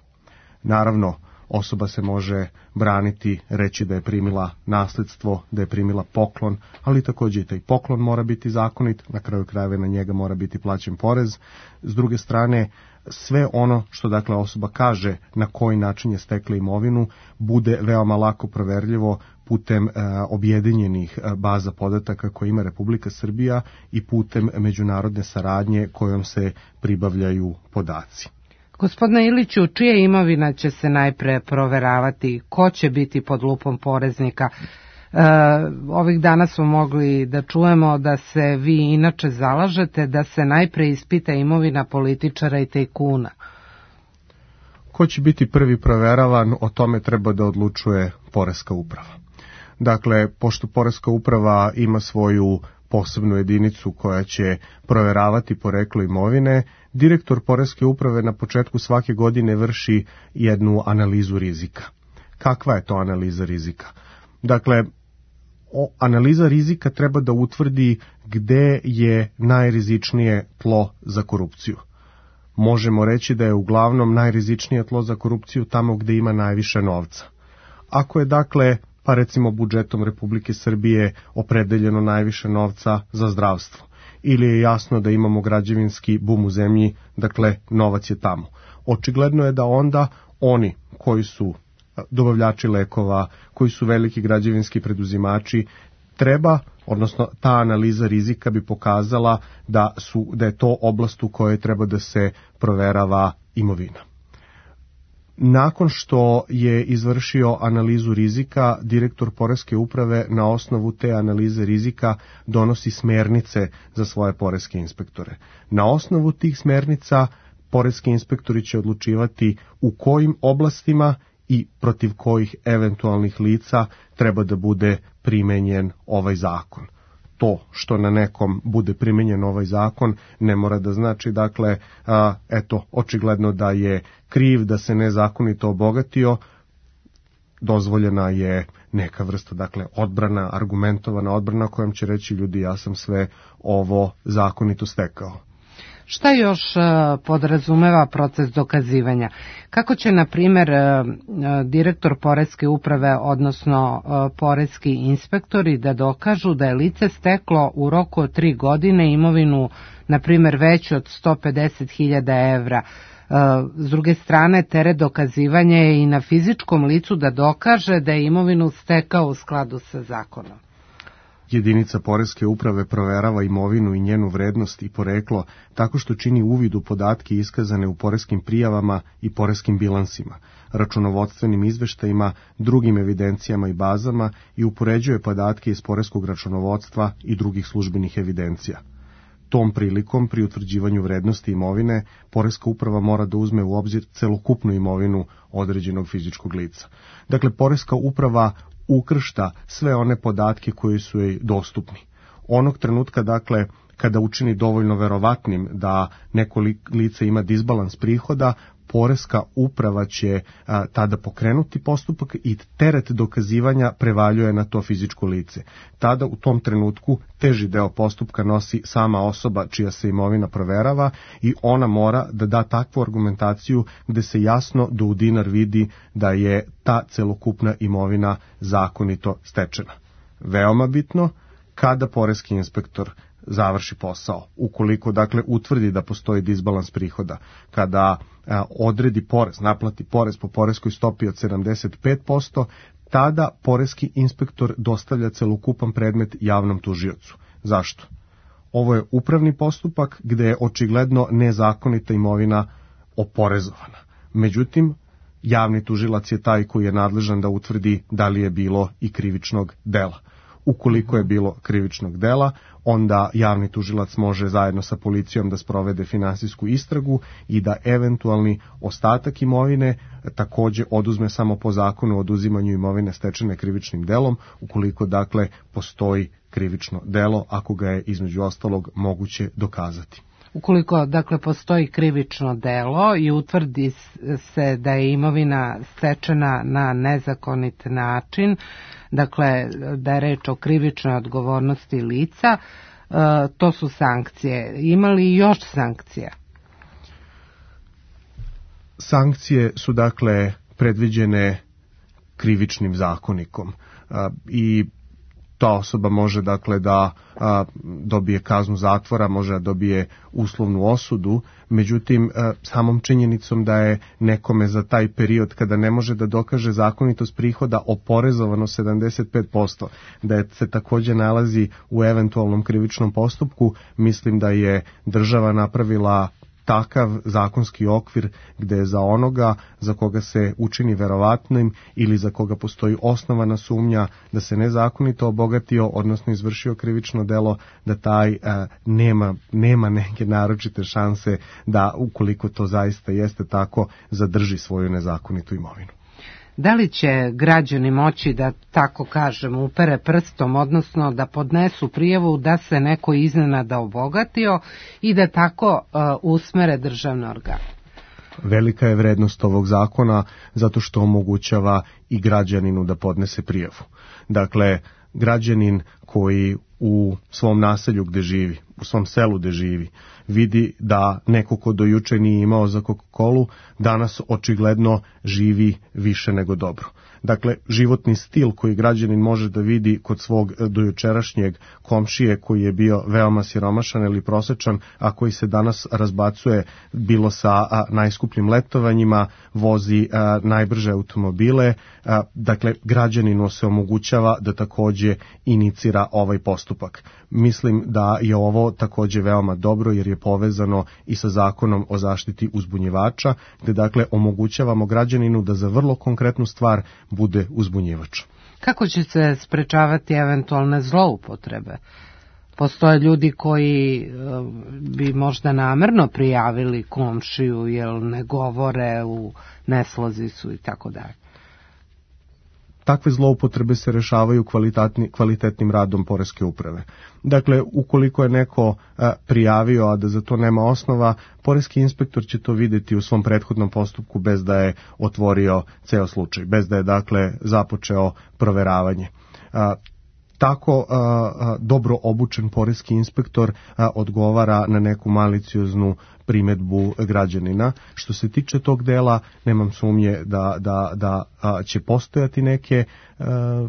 Naravno, osoba se može braniti, reći da je primila nasledstvo, da je primila poklon, ali također i taj poklon mora biti zakonit, na kraju krajeva na njega mora biti plaćen porez. S druge strane, sve ono što dakle osoba kaže na koji način je stekla imovinu bude veoma lako proverljivo putem e, objedinjenih baza podataka koje ima Republika Srbija i putem međunarodne saradnje kojom se pribavljaju podaci. Gospodine Iliću, čija imovina će se najpre proveravati? Ko će biti pod lupom poreznika? E, ovih dana smo mogli da čujemo da se vi inače zalažete da se najpre ispita imovina političara i tajkuna. Ko će biti prvi proveravan, o tome treba da odlučuje poreska uprava. Dakle, pošto poreska uprava ima svoju posebnu jedinicu koja će proveravati poreklo imovine, direktor poreske uprave na početku svake godine vrši jednu analizu rizika. kakva je to analiza rizika. Dakle, o, analiza rizika treba da utvrdi gde je najrizičnije tlo za korupciju. Možemo reći da je uglavnom najrizičnije tlo za korupciju tamo gde ima najviše novca. Ako je dakle, pa recimo budžetom Republike Srbije opredeljeno najviše novca za zdravstvo, ili je jasno da imamo građevinski bum u zemlji, dakle novac je tamo. Očigledno je da onda oni koji su dobavljači lekova, koji su veliki građevinski preduzimači, treba, odnosno ta analiza rizika bi pokazala da su da je to oblast u kojoj treba da se proverava imovina. Nakon što je izvršio analizu rizika, direktor Poreske uprave na osnovu te analize rizika donosi smernice za svoje poreske inspektore. Na osnovu tih smernica poreski inspektori će odlučivati u kojim oblastima i protiv kojih eventualnih lica treba da bude primenjen ovaj zakon. To što na nekom bude primenjen ovaj zakon ne mora da znači, dakle, a, eto, očigledno da je kriv, da se nezakonito obogatio, dozvoljena je neka vrsta, dakle, odbrana, argumentovana odbrana kojom će reći ljudi ja sam sve ovo zakonito stekao. Šta još podrazumeva proces dokazivanja? Kako će, na primjer, direktor Poreske uprave, odnosno poreski inspektori, da dokažu da je lice steklo u roku od tri godine imovinu, na primjer, veću od sto pedeset hiljada evra? S druge strane, teret dokazivanja je i na fizičkom licu da dokaže da je imovinu stekao u skladu sa zakonom. Jedinica Poreske uprave proverava imovinu i njenu vrednost i poreklo tako što čini uvid u podatke iskazane u poreskim prijavama i poreskim bilansima, računovodstvenim izveštajima, drugim evidencijama i bazama i upoređuje podatke iz poreskog računovodstva i drugih službenih evidencija. Tom prilikom, pri utvrđivanju vrednosti imovine, Poreska uprava mora da uzme u obzir celokupnu imovinu određenog fizičkog lica. Dakle, Poreska uprava ukršta sve one podatke koji su joj dostupni. Onog trenutka, dakle, kada učini dovoljno verovatnim da neko lice ima disbalans prihoda, Poreska uprava će a, tada pokrenuti postupak i teret dokazivanja prevaljuje na to fizičko lice. Tada u tom trenutku teži deo postupka nosi sama osoba čija se imovina proverava i ona mora da da takvu argumentaciju gde se jasno do u dinar vidi da je ta celokupna imovina zakonito stečena. Veoma bitno, kada poreski inspektor završi posao, ukoliko dakle utvrdi da postoji disbalans prihoda, kada a, odredi porez, naplati porez po poreskoj stopi od sedamdeset pet posto, tada poreski inspektor dostavlja celokupan predmet javnom tužiocu. Zašto? Ovo je upravni postupak gde je očigledno nezakonita imovina oporezovana. Međutim, javni tužilac je taj koji je nadležan da utvrdi da li je bilo i krivičnog dela. Ukoliko je bilo krivičnog dela, onda javni tužilac može zajedno sa policijom da sprovede finansijsku istragu i da eventualni ostatak imovine takođe oduzme samo po zakonu o oduzimanju imovine stečene krivičnim delom, ukoliko dakle postoji krivično delo, ako ga je između ostalog moguće dokazati. Ukoliko, dakle, postoji krivično delo i utvrdi se da je imovina stečena na nezakonit način, dakle, da je reč o krivičnoj odgovornosti lica, to su sankcije. Ima li još sankcija? Sankcije su, dakle, predviđene krivičnim zakonikom i ta osoba može, dakle, da a, dobije kaznu zatvora, može da dobije uslovnu osudu, međutim a, samom činjenicom da je nekome za taj period kada ne može da dokaže zakonitost prihoda oporezovano sedamdeset pet posto, da je se takođe nalazi u eventualnom krivičnom postupku, mislim da je država napravila takav zakonski okvir gde je za onoga za koga se učini verovatnim ili za koga postoji osnovana sumnja da se nezakonito obogatio, odnosno izvršio krivično delo, da taj a, nema, nema neke naročite šanse da, ukoliko to zaista jeste tako, zadrži svoju nezakonitu imovinu. Da li će građani moći da, tako kažem, upere prstom, odnosno da podnesu prijavu da se neko iznenada obogatio i da tako uh, usmere državne organe? Velika je vrednost ovog zakona zato što omogućava i građaninu da podnese prijavu. Dakle, građanin koji u svom naselju gde živi, u svom selu gde živi, vidi da neko ko do juče nije imao za Coca-Colu, danas očigledno živi više nego dobro. Dakle, životni stil koji građanin može da vidi kod svog dojučerašnjeg komšije koji je bio veoma siromašan ili prosečan, a koji se danas razbacuje bilo sa a, najskupljim letovanjima, vozi a, najbrže automobile, a, dakle, građaninu se omogućava da takođe inicira ovaj postupak. Mislim da je ovo takođe veoma dobro jer je povezano i sa zakonom o zaštiti uzbunjivača, gde dakle omogućavamo građaninu da za vrlo konkretnu stvar bude uzbunjivač. Kako će se sprečavati eventualne zloupotrebe? Postoje ljudi koji bi možda namerno prijavili komšiju jer ne govore, u neslozi su i tako dalje. Takve zloupotrebe se rešavaju kvalitetnim radom poreske uprave. Dakle, ukoliko je neko a, prijavio, a da za to nema osnova, poreski inspektor će to videti u svom prethodnom postupku bez da je otvorio ceo slučaj, bez da je dakle započeo proveravanje. A, Tako a, a, dobro obučen poreski inspektor a, odgovara na neku malicioznu primedbu građanina. Što se tiče tog dela, nemam sumnje da, da, da a, će postojati neke, a,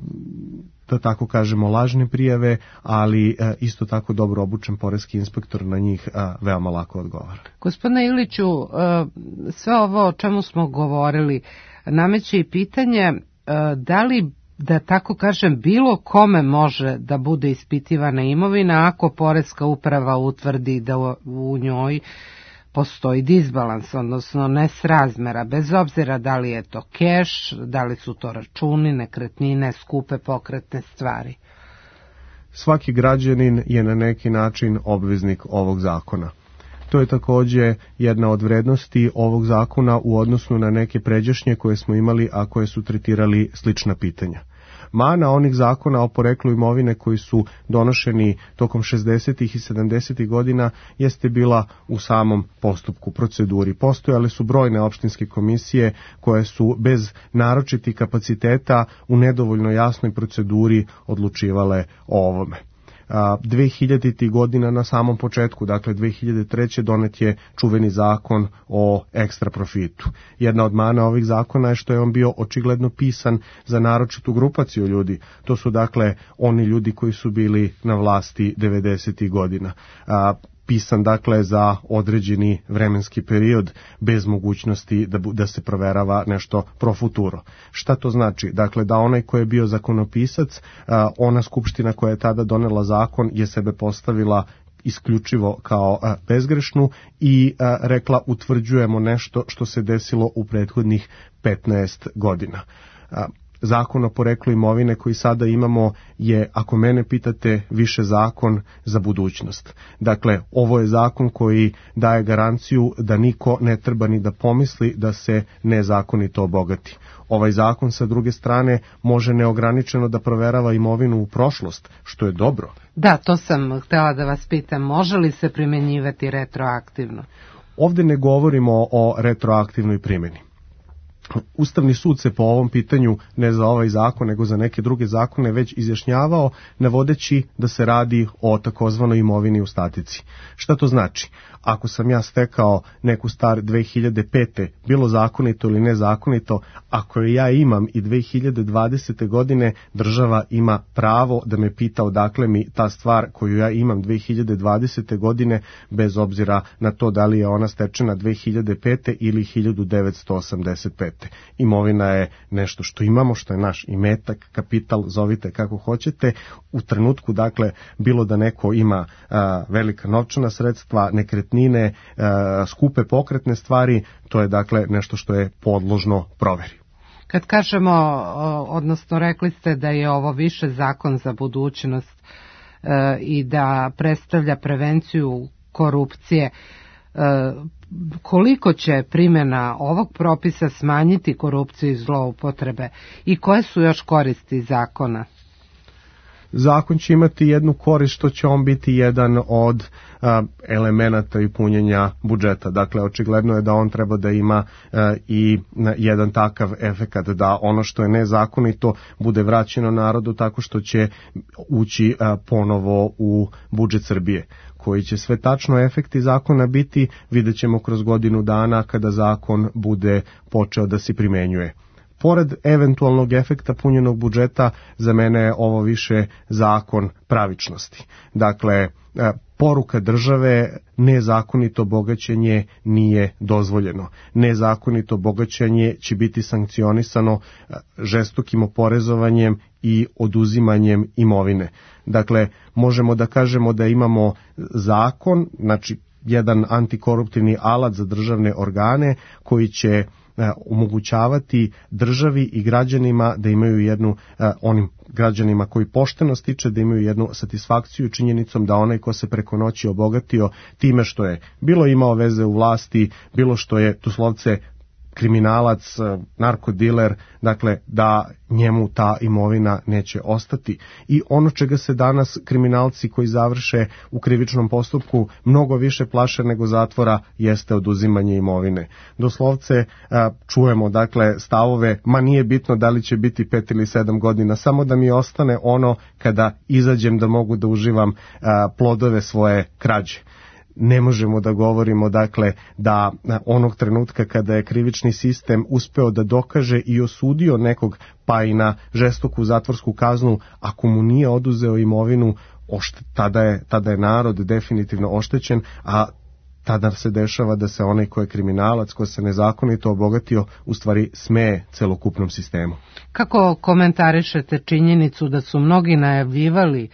da tako kažemo, lažne prijave, ali a, isto tako dobro obučen poreski inspektor na njih a, veoma lako odgovara. Gospodine Iliću, a, sve ovo o čemu smo govorili nameće i pitanje a, da li, da tako kažem, bilo kome može da bude ispitivana imovina ako poreska uprava utvrdi da u njoj postoji disbalans, odnosno nesrazmera, bez obzira da li je to keš, da li su to računi, nekretnine, skupe pokretne stvari. Svaki građanin je na neki način obveznik ovog zakona. To je takođe jedna od vrednosti ovog zakona u odnosu na neke pređašnje koje smo imali, a koje su tretirali slična pitanja. Mana onih zakona o poreklu imovine koji su donošeni tokom šezdesetih i sedamdesetih godina jeste bila u samom postupku, proceduri. Postojale su brojne opštinske komisije koje su bez naročitih kapaciteta u nedovoljno jasnoj proceduri odlučivale o ovome. dve hiljaditih godina na samom početku, dakle dve hiljade treće donet je čuveni zakon o ekstra profitu. Jedna od mana ovih zakona je što je on bio očigledno pisan za naročitu grupaciju ljudi. To su dakle oni ljudi koji su bili na vlasti devedesetih godina. A, pisan dakle za određeni vremenski period bez mogućnosti da, da se proverava nešto pro futuro. Šta to znači? Dakle, da onaj ko je bio zakonopisac, ona skupština koja je tada donela zakon je sebe postavila isključivo kao bezgrešnu i rekla utvrđujemo nešto što se desilo u prethodnih petnaest godina. Zakon o poreklu imovine koji sada imamo je, ako mene pitate, više zakon za budućnost. Dakle, ovo je zakon koji daje garanciju da niko ne treba ni da pomisli da se nezakonito obogati. Ovaj zakon sa druge strane može neograničeno da proverava imovinu u prošlost, što je dobro. Da, to sam htela da vas pitam, može li se primenjivati retroaktivno? Ovde ne govorimo o retroaktivnoj primjeni. Ustavni sud se po ovom pitanju, ne za ovaj zakon, nego za neke druge zakone, već izjašnjavao, navodeći da se radi o takozvanoj imovini u statici. Šta to znači? Ako sam ja stekao neku stvar dve hiljade pete, bilo zakonito ili nezakonito, ako je ja imam i dve hiljade dvadesete godine, država ima pravo da me pita odakle mi ta stvar koju ja imam dve hiljade dvadesete godine, bez obzira na to da li je ona stečena dve hiljade pete ili hiljadu devetsto osamdeset pete. Imovina je nešto što imamo, što je naš imetak, kapital, zovite kako hoćete. U trenutku, dakle, bilo da neko ima a, velika novčana sredstva, nekretnine, a, skupe pokretne stvari, to je dakle nešto što je podložno proveri. Kad kažemo, odnosno rekli ste da je ovo više zakon za budućnost e, i da predstavlja prevenciju korupcije, e, koliko će primjena ovog propisa smanjiti korupciju i zloupotrebe i koje su još koristi zakona? zakon će imati jednu korist što će on biti jedan od a, elemenata i punjenja budžeta. Dakle, očigledno je da on treba da ima a, i a, jedan takav efekat, da ono što je nezakonito bude vraćeno narodu tako što će ući a, ponovo u budžet Srbije. Koji će sve tačno efekti zakona biti, vidjet ćemo kroz godinu dana kada zakon bude počeo da se primenjuje. Pored eventualnog efekta punjenog budžeta, za mene je ovo više zakon pravičnosti. Dakle, poruka države, nezakonito bogaćenje nije dozvoljeno. Nezakonito bogaćenje će biti sankcionisano žestokim oporezovanjem i oduzimanjem imovine. Dakle, možemo da kažemo da imamo zakon, znači jedan antikoruptivni alat za državne organe koji će omogućavati državi i građanima da imaju jednu, onim građanima koji pošteno stiče, da imaju jednu satisfakciju činjenicom da onaj ko se preko noći obogatio time što je bilo imao veze u vlasti, bilo što je doslovce kriminalac, narkodiler, dakle da njemu ta imovina neće ostati. I ono čega se danas kriminalci koji završe u krivičnom postupku mnogo više plaše nego zatvora jeste oduzimanje imovine. Doslovce čujemo dakle stavove, ma nije bitno da li će biti pet ili sedam godina, samo da mi ostane ono kada izađem da mogu da uživam plodove svoje krađe. Ne možemo da govorimo dakle da onog trenutka kada je krivični sistem uspeo da dokaže i osudio nekog pa i na žestoku zatvorsku kaznu, ako mu nije oduzeo imovinu, ošte, tada, je, tada je narod definitivno oštećen, a tada se dešava da se onaj ko je kriminalac, ko se nezakonito obogatio, u stvari smeje celokupnom sistemu. Kako komentarišete činjenicu da su mnogi najavljivali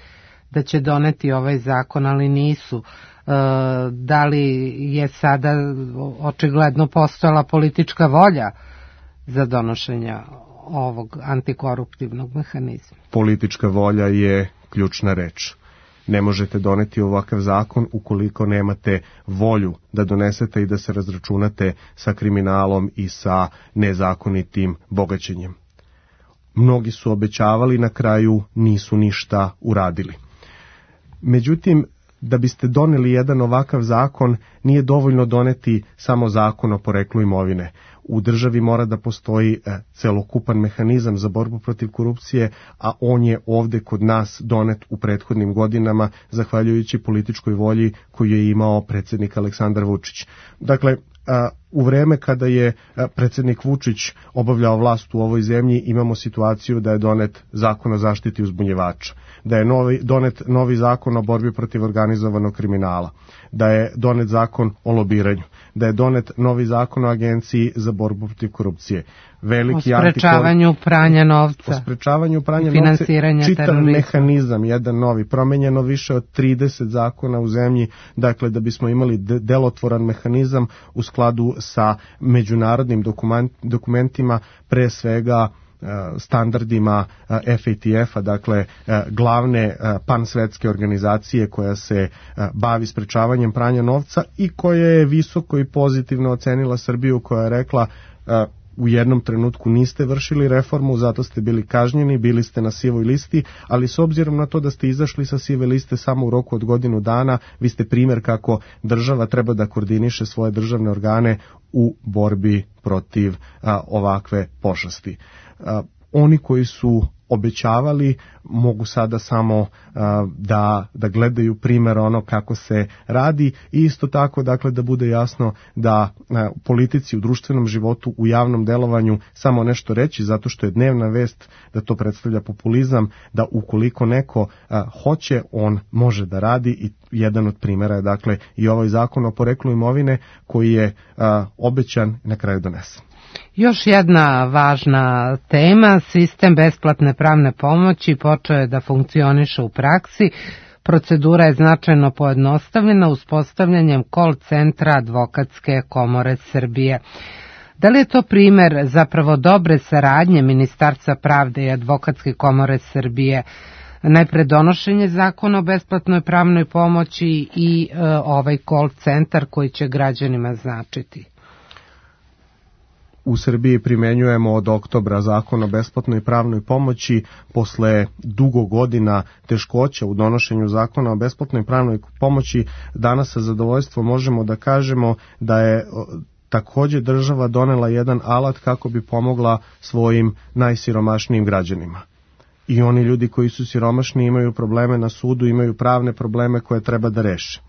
da će doneti ovaj zakon, ali nisu? Da li je sada očigledno postojala politička volja za donošenje ovog antikoruptivnog mehanizma? Politička volja je ključna reč. Ne možete doneti ovakav zakon ukoliko nemate volju da donesete i da se razračunate sa kriminalom i sa nezakonitim bogaćenjem. Mnogi su obećavali, na kraju nisu ništa uradili. Međutim, da biste doneli jedan ovakav zakon, nije dovoljno doneti samo zakon o poreklu imovine. U državi mora da postoji celokupan mehanizam za borbu protiv korupcije, a on je ovde kod nas donet u prethodnim godinama, zahvaljujući političkoj volji koju je imao predsjednik Aleksandar Vučić. Dakle, u vreme kada je predsjednik Vučić obavljao vlast u ovoj zemlji, imamo situaciju da je donet zakon o zaštiti uzbunjivača, da je novi, donet novi zakon o borbi protiv organizovanog kriminala, da je donet zakon o lobiranju, da je donet novi zakon o agenciji za borbu protiv korupcije. Veliki o sprečavanju antikor... pranja novca, o sprečavanju pranja novca, čitav terorizma. Mehanizam, jedan novi, promenjeno više od trideset zakona u zemlji, dakle da bismo imali de- delotvoran mehanizam u skladu sa međunarodnim dokument, dokumentima, pre svega standardima F A T F-a, dakle glavne pansvetske organizacije koja se bavi sprečavanjem pranja novca i koja je visoko i pozitivno ocenila Srbiju, koja je rekla u jednom trenutku niste vršili reformu, zato ste bili kažnjeni, bili ste na sivoj listi, ali s obzirom na to da ste izašli sa sive liste samo u roku od godinu dana, vi ste primjer kako država treba da koordiniše svoje državne organe u borbi protiv a, ovakve pošasti. A, oni koji su obećavali mogu sada samo uh, da, da gledaju primjer ono kako se radi i isto tako dakle da bude jasno da uh, u politici, u društvenom životu, u javnom delovanju samo nešto reći zato što je dnevna vest da to predstavlja populizam, da ukoliko neko uh, hoće, on može da radi i jedan od primjera je dakle i ovaj zakon o poreklu imovine koji je uh, obećan i na kraju donesen. Još jedna važna tema, sistem besplatne pravne pomoći počeo je da funkcioniše u praksi. Procedura je značajno pojednostavljena uspostavljanjem call centra Advokatske komore Srbije. Da li je to primjer zapravo dobre saradnje Ministarstva pravde i Advokatske komore Srbije? Najpre donošenje zakona o besplatnoj pravnoj pomoći i e, ovaj call centar koji će građanima značiti. u Srbiji primenjujemo od oktobra zakon o besplatnoj pravnoj pomoći. Posle dugo godina teškoća u donošenju zakona o besplatnoj pravnoj pomoći, danas sa zadovoljstvom možemo da kažemo da je takođe država donela jedan alat kako bi pomogla svojim najsiromašnijim građanima. I oni ljudi koji su siromašni imaju probleme na sudu, imaju pravne probleme koje treba da reše.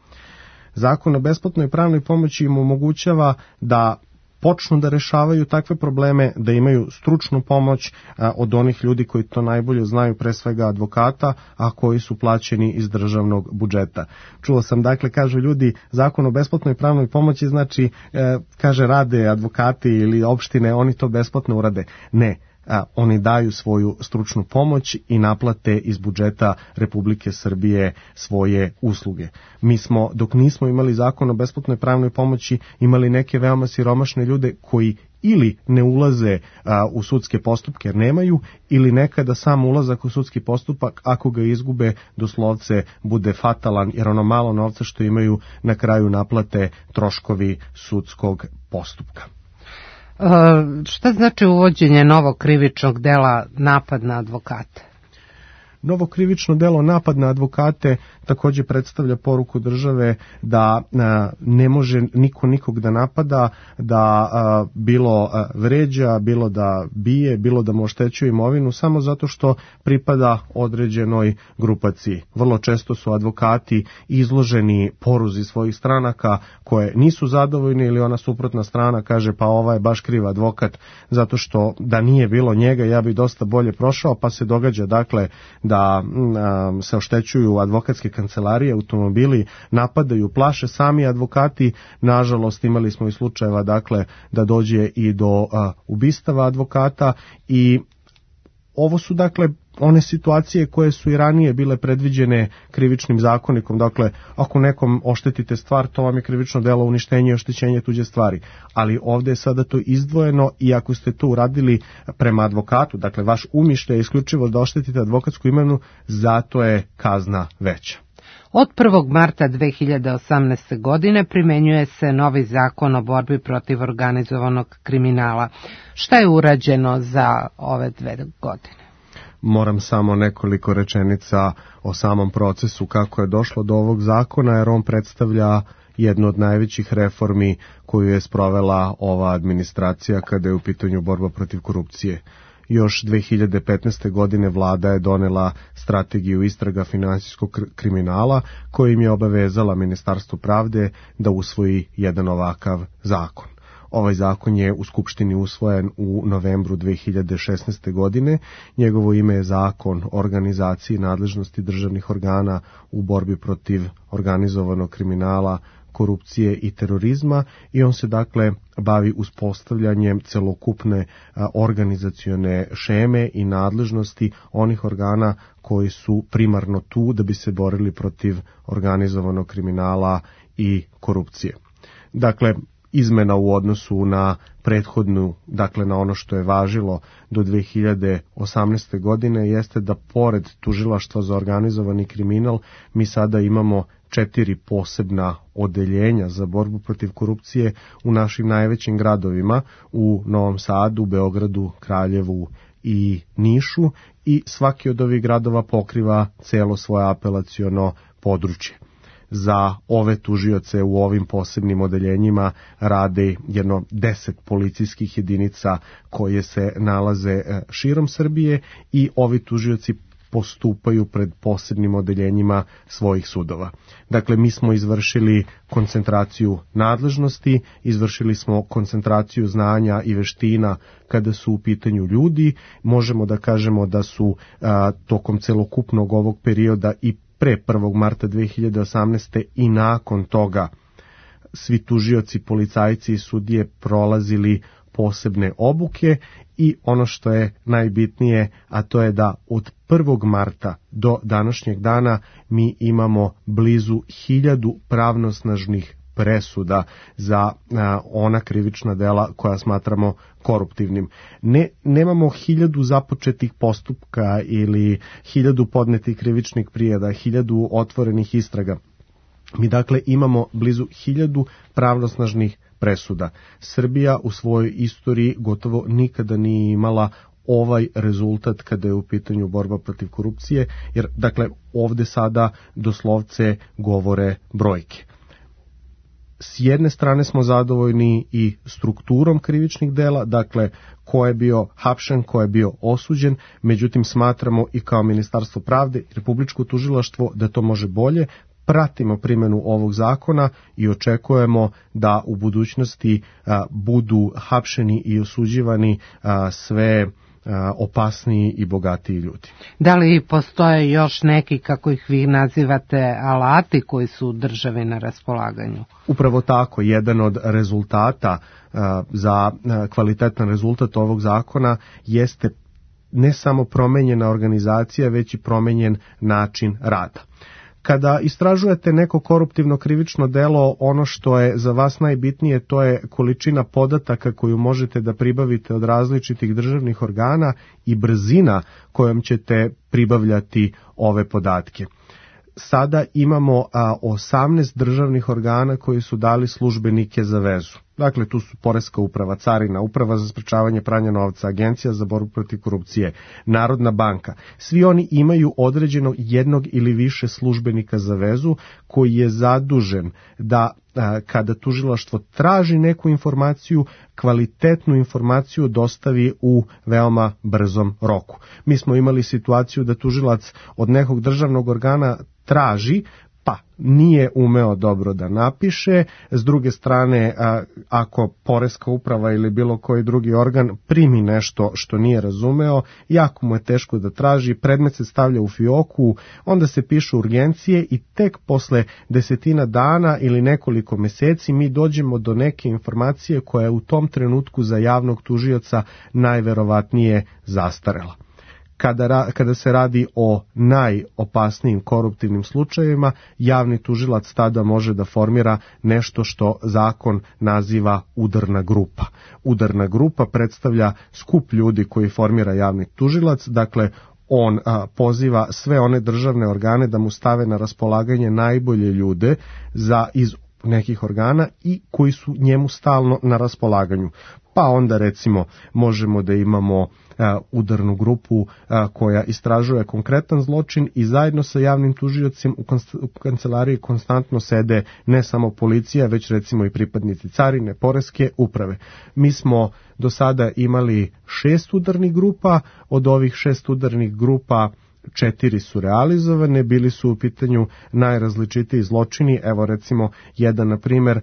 Zakon o besplatnoj pravnoj pomoći im omogućava da počnu da rešavaju takve probleme, da imaju stručnu pomoć a, od onih ljudi koji to najbolje znaju, pre svega advokata, a koji su plaćeni iz državnog budžeta. Čuo sam, dakle, kažu ljudi, zakon o besplatnoj pravnoj pomoći znači, e, kaže, rade advokati ili opštine, oni to besplatno urade. Ne. A, oni daju svoju stručnu pomoć i naplate iz budžeta Republike Srbije svoje usluge. Mi smo, dok nismo imali zakon o besplatnoj pravnoj pomoći, imali neke veoma siromašne ljude koji ili ne ulaze a, u sudske postupke jer nemaju, ili nekada sam ulazak u sudski postupak, ako ga izgube, doslovce bude fatalan, jer ono malo novca što imaju na kraju naplate troškovi sudskog postupka. Uh, šta znači uvođenje novog krivičnog dela napad na advokate? Novo krivično delo napad na advokate takođe predstavlja poruku države da a, ne može niko nikog da napada, da a, bilo a, vređa, bilo da bije, bilo da mu oštećuje imovinu samo zato što pripada određenoj grupaciji. Vrlo često su advokati izloženi poruzi svojih stranaka koje nisu zadovoljni, ili ona suprotna strana kaže pa ova je baš kriv advokat zato što da nije bilo njega ja bi dosta bolje prošao, pa se događa dakle da da se oštećuju advokatske kancelarije, automobili, napadaju, plaše sami advokati. Nažalost, imali smo i slučajeva dakle da dođe i do a, ubistava advokata, i ovo su dakle one situacije koje su i ranije bile predviđene krivičnim zakonikom. Dakle, ako nekom oštetite stvar, to vam je krivično delo uništenje i oštećenje tuđe stvari. Ali ovdje je sada to izdvojeno, i ako ste to uradili prema advokatu, dakle vaš umišljaj je isključivo da oštetite advokatsku imovinu, zato je kazna veća. Od prvog marta dve hiljade osamnaeste. godine primenjuje se novi zakon o borbi protiv organizovanog kriminala. Šta je urađeno za ove dve godine? Moram samo nekoliko rečenica o samom procesu kako je došlo do ovog zakona, jer on predstavlja jednu od najvećih reformi koju je sprovela ova administracija kada je u pitanju borba protiv korupcije. Još dve hiljade petnaeste. godine vlada je donela strategiju istraga finansijskog kriminala kojim je obavezala Ministarstvo pravde da usvoji jedan ovakav zakon. Ovaj zakon je u Skupštini usvojen u novembru dve hiljade šesnaeste. godine. Njegovo ime je Zakon o organizaciji nadležnosti državnih organa u borbi protiv organizovanog kriminala, korupcije i terorizma, i on se dakle bavi uspostavljanjem celokupne a, organizacione šeme i nadležnosti onih organa koji su primarno tu da bi se borili protiv organizovanog kriminala i korupcije. Dakle, izmena u odnosu na prethodnu, dakle na ono što je važilo do dve hiljade osamnaeste. godine, jeste da pored tužilaštva za organizovani kriminal mi sada imamo četiri posebna odeljenja za borbu protiv korupcije u našim najvećim gradovima, u Novom Sadu, Beogradu, Kraljevu i Nišu, i svaki od ovih gradova pokriva celo svoje apelaciono područje. Za ove tužioce u ovim posebnim odeljenjima rade jedno deset policijskih jedinica koje se nalaze širom Srbije, i ovi tužioci postupaju pred posebnim odeljenjima svojih sudova. Dakle, mi smo izvršili koncentraciju nadležnosti, izvršili smo koncentraciju znanja i veština kada su u pitanju ljudi. Možemo da kažemo da su a, tokom celokupnog ovog perioda i pre prvog marta dve hiljade osamnaeste. i nakon toga svi tužioci, policajci i sudije prolazili posebne obuke, i ono što je najbitnije, a to je da od prvog marta do današnjeg dana mi imamo blizu hiljadu pravnosnažnih presuda za a, ona krivična dela koja smatramo koruptivnim. Ne, nemamo hiljadu započetih postupka ili hiljadu podnetih krivičnih prijava, hiljadu otvorenih istraga. Mi dakle imamo blizu hiljadu pravnosnažnih presuda. Srbija u svojoj istoriji gotovo nikada nije imala ovaj rezultat kada je u pitanju borba protiv korupcije, jer dakle ovde sada doslovce govore brojke. S jedne strane smo zadovoljni i strukturom krivičnih dela, dakle ko je bio hapšen, ko je bio osuđen, međutim smatramo i kao Ministarstvo pravde i Republičko tužilaštvo da to može bolje. Pratimo primjenu ovog zakona i očekujemo da u budućnosti a, budu hapšeni i osuđivani a, sve a, opasniji i bogatiji ljudi. Da li postoje još neki, kako ih vi nazivate, alati koji su državi na raspolaganju? Upravo tako, jedan od rezultata a, za a, kvalitetan rezultat ovog zakona jeste ne samo promenjena organizacija, već i promenjen način rada. Kada istražujete neko koruptivno krivično delo, ono što je za vas najbitnije to je količina podataka koju možete da pribavite od različitih državnih organa i brzina kojom ćete pribavljati ove podatke. Sada imamo a, osamnaest državnih organa koji su dali službenike za vezu. Dakle, tu su Poreska uprava, Carina, Uprava za sprečavanje pranja novca, Agencija za borbu protiv korupcije, Narodna banka. Svi oni imaju određenog jednog ili više službenika za vezu koji je zadužen da a, kada tužilaštvo traži neku informaciju, kvalitetnu informaciju dostavi u veoma brzom roku. Mi smo imali situaciju da tužilac od nekog državnog organa traži, pa nije umeo dobro da napiše, s druge strane a, ako Poreska uprava ili bilo koji drugi organ primi nešto što nije razumeo, jako mu je teško da traži, predmet se stavlja u fioku, onda se pišu urgencije i tek posle desetina dana ili nekoliko meseci mi dođemo do neke informacije koja je u tom trenutku za javnog tužioca najverovatnije zastarela. Kada, kada se radi o najopasnijim koruptivnim slučajevima, javni tužilac tada može da formira nešto što zakon naziva udarna grupa. Udarna grupa predstavlja skup ljudi koji formira javni tužilac, dakle on a, poziva sve one državne organe da mu stave na raspolaganje najbolje ljude za iz nekih organa i koji su njemu stalno na raspolaganju. Pa onda recimo možemo da imamo uh, udarnu grupu uh, koja istražuje konkretan zločin i zajedno sa javnim tužiocem u, konst- u kancelariji konstantno sede ne samo policija, već recimo i pripadnici Carine, Poreske uprave. Mi smo do sada imali šest udarnih grupa, od ovih šest udarnih grupa četiri su realizovane, bili su u pitanju najrazličitiji zločini. Evo recimo jedan na primjer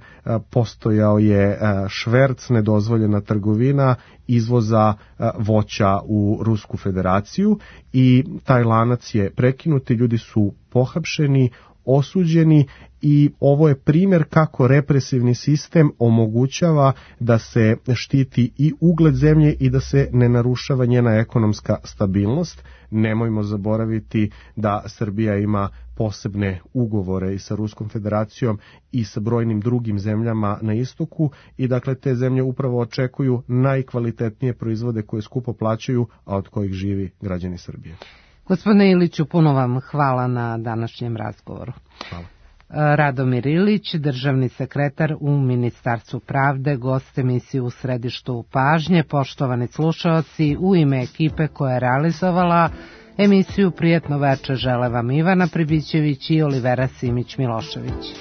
postojao je šverc, nedozvoljena trgovina izvoza voća u Rusku federaciju i taj lanac je prekinut i ljudi su pohapšeni, osuđeni i ovo je primjer kako represivni sistem omogućava da se štiti i ugled zemlje i da se ne narušava njena ekonomska stabilnost. Nemojmo zaboraviti da Srbija ima posebne ugovore i sa Ruskom federacijom i sa brojnim drugim zemljama na istoku i dakle te zemlje upravo očekuju najkvalitetnije proizvode koje skupo plaćaju, a od kojih živi građani Srbije. Gospodine Iliću, puno vam hvala na današnjem razgovoru. Hvala. Radomir Ilić, državni sekretar u Ministarstvu pravde, gost emisije U središtu pažnje. Poštovani slušaoci, u ime ekipe koja je realizovala emisiju Prijetno veče žele vam Ivana Pribićević i Olivera Simić-Milošević.